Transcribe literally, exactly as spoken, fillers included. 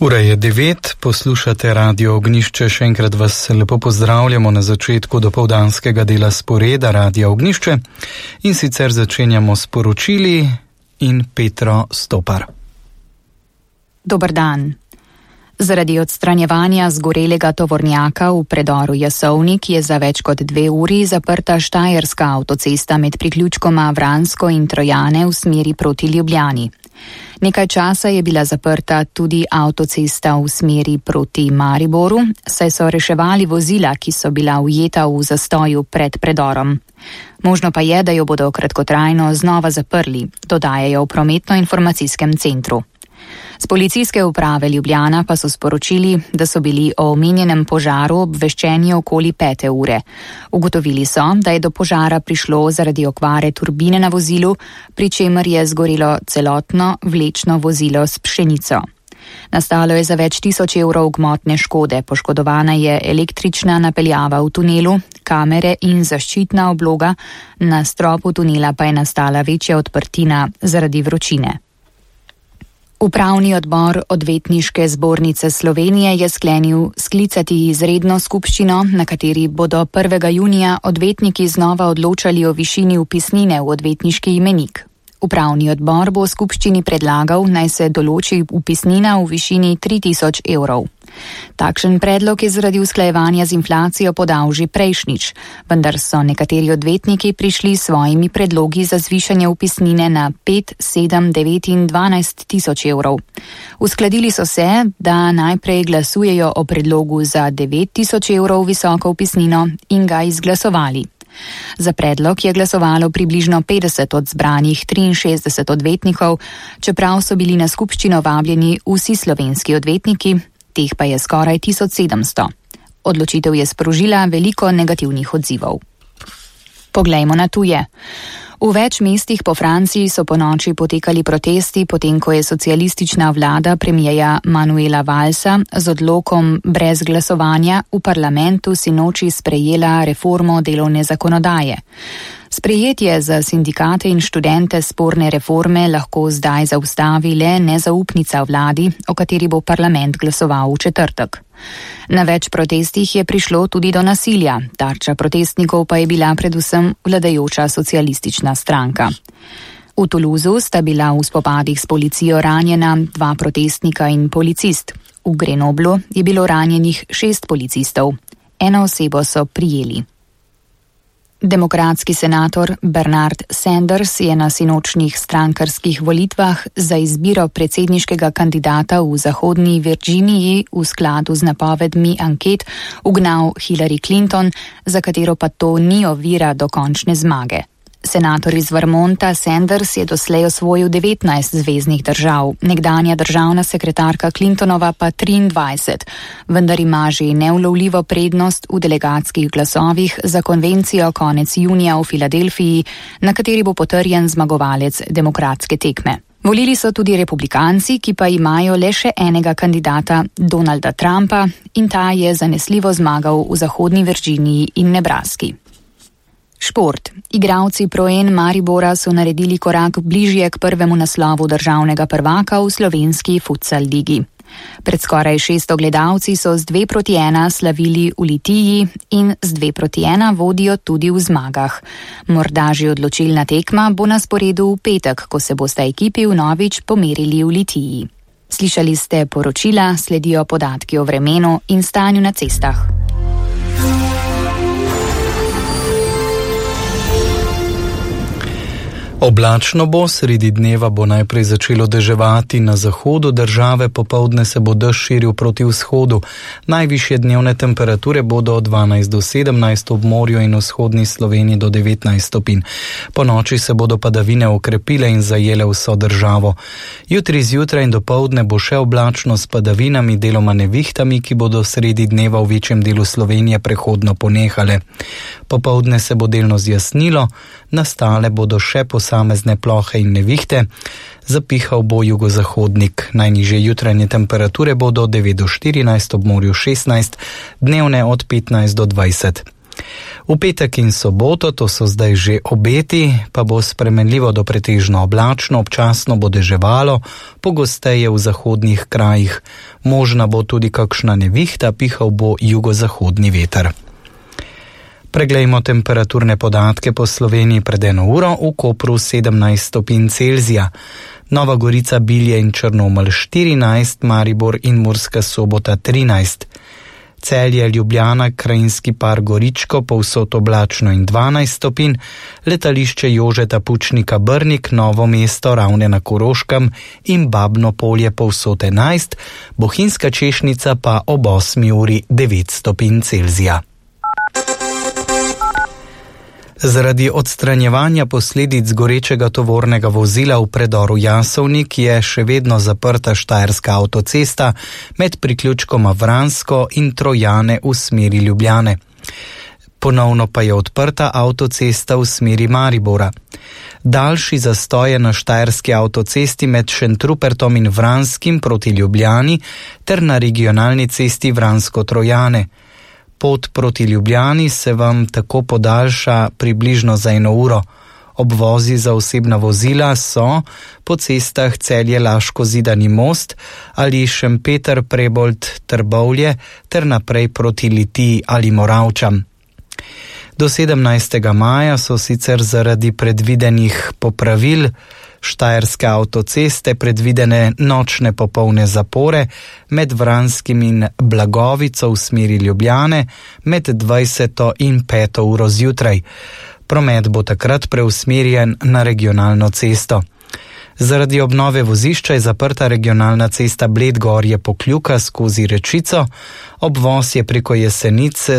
Ura je devet, poslušate Radio Ognjišče, še enkrat vas lepo pozdravljamo na začetku dopoldanskega dela sporeda Radio Ognjišče in sicer začenjamo s poročili in Petro Stopar. Dober dan. Zaradi odstranjevanja zgorelega tovornjaka v predoru Jasovnik je za več kot dve uri zaprta štajerska avtocesta med priključkoma Vransko in Trojane v smeri proti Ljubljani. Nekaj časa je bila zaprta tudi avtocesta v smeri proti Mariboru, saj so reševali vozila, ki so bila ujeta v zastoju pred predorom. Možno pa je, da jo bodo kratkotrajno znova zaprli, dodajajo v prometno-informacijskem centru. Z policijske uprave Ljubljana pa so sporočili, da so bili o omenjenem požaru obveščeni okoli pete ure. Ugotovili so, da je do požara prišlo zaradi okvare turbine na vozilu, pri čemer je zgorelo celotno vlečno vozilo s pšenico. Nastalo je za več tisoč evrov gmotne škode, poškodovana je električna napeljava v tunelu, kamere in zaščitna obloga, na stropu tunela pa je nastala večja odprtina zaradi vročine. Upravni odbor Odvetniške zbornice Slovenije je sklenil sklicati izredno skupščino, na kateri bodo prvega junija odvetniki znova odločali o višini vpisnine v odvetniški imenik. Upravni odbor bo skupščini predlagal, naj se določi vpisnina v višini tri tisoč evrov. Takšen predlog je zaradi usklajevanja z inflacijo podal že prejšnjič, vendar so nekateri odvetniki prišli s svojimi predlogi za zvišanje vpisnine na pet, sedem, devet in dvanajst tisoč evrov. Uskladili so se, da najprej glasujejo o predlogu za devet tisoč evrov visoko vpisnino in ga izglasovali. Za predlog je glasovalo približno petdeset od zbranih triinšestdeset odvetnikov, čeprav so bili na skupščino vabljeni vsi slovenski odvetniki, teh pa je skoraj tisoč sedemsto. Odločitev je sprožila veliko negativnih odzivov. Poglejmo na tuje. V več mestih po Franciji so ponoči potekali protesti, potem ko je socialistična vlada premierja Manuela Vallsa z odlokom brez glasovanja v parlamentu sinoči sprejela reformo delovne zakonodaje. Sprejetje za sindikate in študente sporne reforme lahko zdaj zaustavi le nezaupnica vladi, o kateri bo parlament glasoval v četrtek. Na več protestih je prišlo tudi do nasilja, tarča protestnikov pa je bila predvsem vladajoča socialistična stranka. V Toulouseu sta bila v spopadih s policijo ranjena dva protestnika in policist. V Grenoblu je bilo ranjenih šest policistov. Eno osebo so prijeli. Demokratski senator Bernard Sanders je na sinočnih strankarskih volitvah za izbiro predsedniškega kandidata v Zahodni Virginiji v skladu z napovedmi anket ugnal Hillary Clinton, za katero pa to ni ovira do končne zmage. Senator iz Vermonta Sanders je doslej osvojil devetnajst zveznih držav, nekdanja državna sekretarka Clintonova pa triindvajset, vendar ima že neulovljivo prednost v delegatskih glasovih za konvencijo konec junija v Filadelfiji, na kateri bo potrjen zmagovalec demokratske tekme. Volili so tudi republikanci, ki pa imajo le še enega kandidata, Donalda Trumpa, in ta je zanesljivo zmagal v Zahodni Virginiji in Nebraski. Šport. Igralci Proen Maribora so naredili korak bližje k prvemu naslovu državnega prvaka v slovenski futsal ligi. Pred skoraj šeststo gledalci so z dve proti ena slavili v Litiji in z dve proti ena vodijo tudi v zmagah. Morda že odločilna tekma bo na sporedu v petek, ko se bosta ekipi vnovič pomerili v Litiji. Slišali ste poročila, sledijo podatki o vremenu in stanju na cestah. Oblačno bo, sredi dneva bo najprej začelo deževati na zahodu države, popoldne se bo dež širil proti vzhodu. Najvišje dnevne temperature bodo od dvanajst do sedemnajst ob morju in vzhodni Sloveniji do devetnajst stopinj. Po noči se bodo padavine okrepile in zajele vso državo. Jutri zjutraj in dopoldne bo še oblačno s padavinami, deloma nevihtami, ki bodo sredi dneva v večjem delu Slovenije prehodno ponehale. Popoldne se bo delno zjasnilo, nastale bodo še posamezne plohe in nevihte, zapihal bo jugozahodnik. Najnižje jutranje temperature bodo od devet do štirinajst, ob morju šestnajst, dnevne od petnajst do dvajset. V petek in soboto, to so zdaj že obeti, pa bo spremenljivo do pretežno oblačno, občasno bo deževalo, pogosteje v zahodnih krajih. Možna bo tudi kakšna nevihta, pihal bo jugozahodni veter. Preglejmo temperaturne podatke po Sloveniji pred eno uro. V Kopru sedemnajst stopinj Celzija, Nova Gorica, Bilje in Črnomelj štirinajst, Maribor in Murska Sobota trinajst, Celje, Ljubljana, Krajinski par, Goričko, povsod oblačno in dvanajst stopinj, letališče Jožeta Pučnika Brnik, Novo mesto, Ravne na Koroškem in Babno Polje povsod enajst, Bohinjska Češnica pa ob osmi uri devet stopinj Celzija. Zaradi odstranjevanja posledic gorečega tovornega vozila v predoru Jasovnik je še vedno zaprta štajerska avtocesta med priključkoma Vransko in Trojane v smeri Ljubljane. Ponovno pa je odprta avtocesta v smeri Maribora. Daljši zastoj je na štajerski avtocesti med Šentrupertom in Vranskim proti Ljubljani ter na regionalni cesti Vransko-Trojane. Pot proti Ljubljani se vam tako podaljša približno za eno uro. Obvozi za osebna vozila so po cestah Celje-Laško-Zidani most ali Šempeter-Prebold-Trbovlje ter naprej proti Litiji ali Moravčam. Do sedemnajstega maja so sicer zaradi predvidenih popravil štajerske avtoceste predvidene nočne popolne zapore med Vranskim in Blagovico v smeri Ljubljane med dvajseto in peto uro zjutraj. Promet bo takrat preusmerjen na regionalno cesto. Zaradi obnove vozišča je zaprta regionalna cesta Bled Gorje Pokljuka skozi Rečico, obvoz je preko Jesenice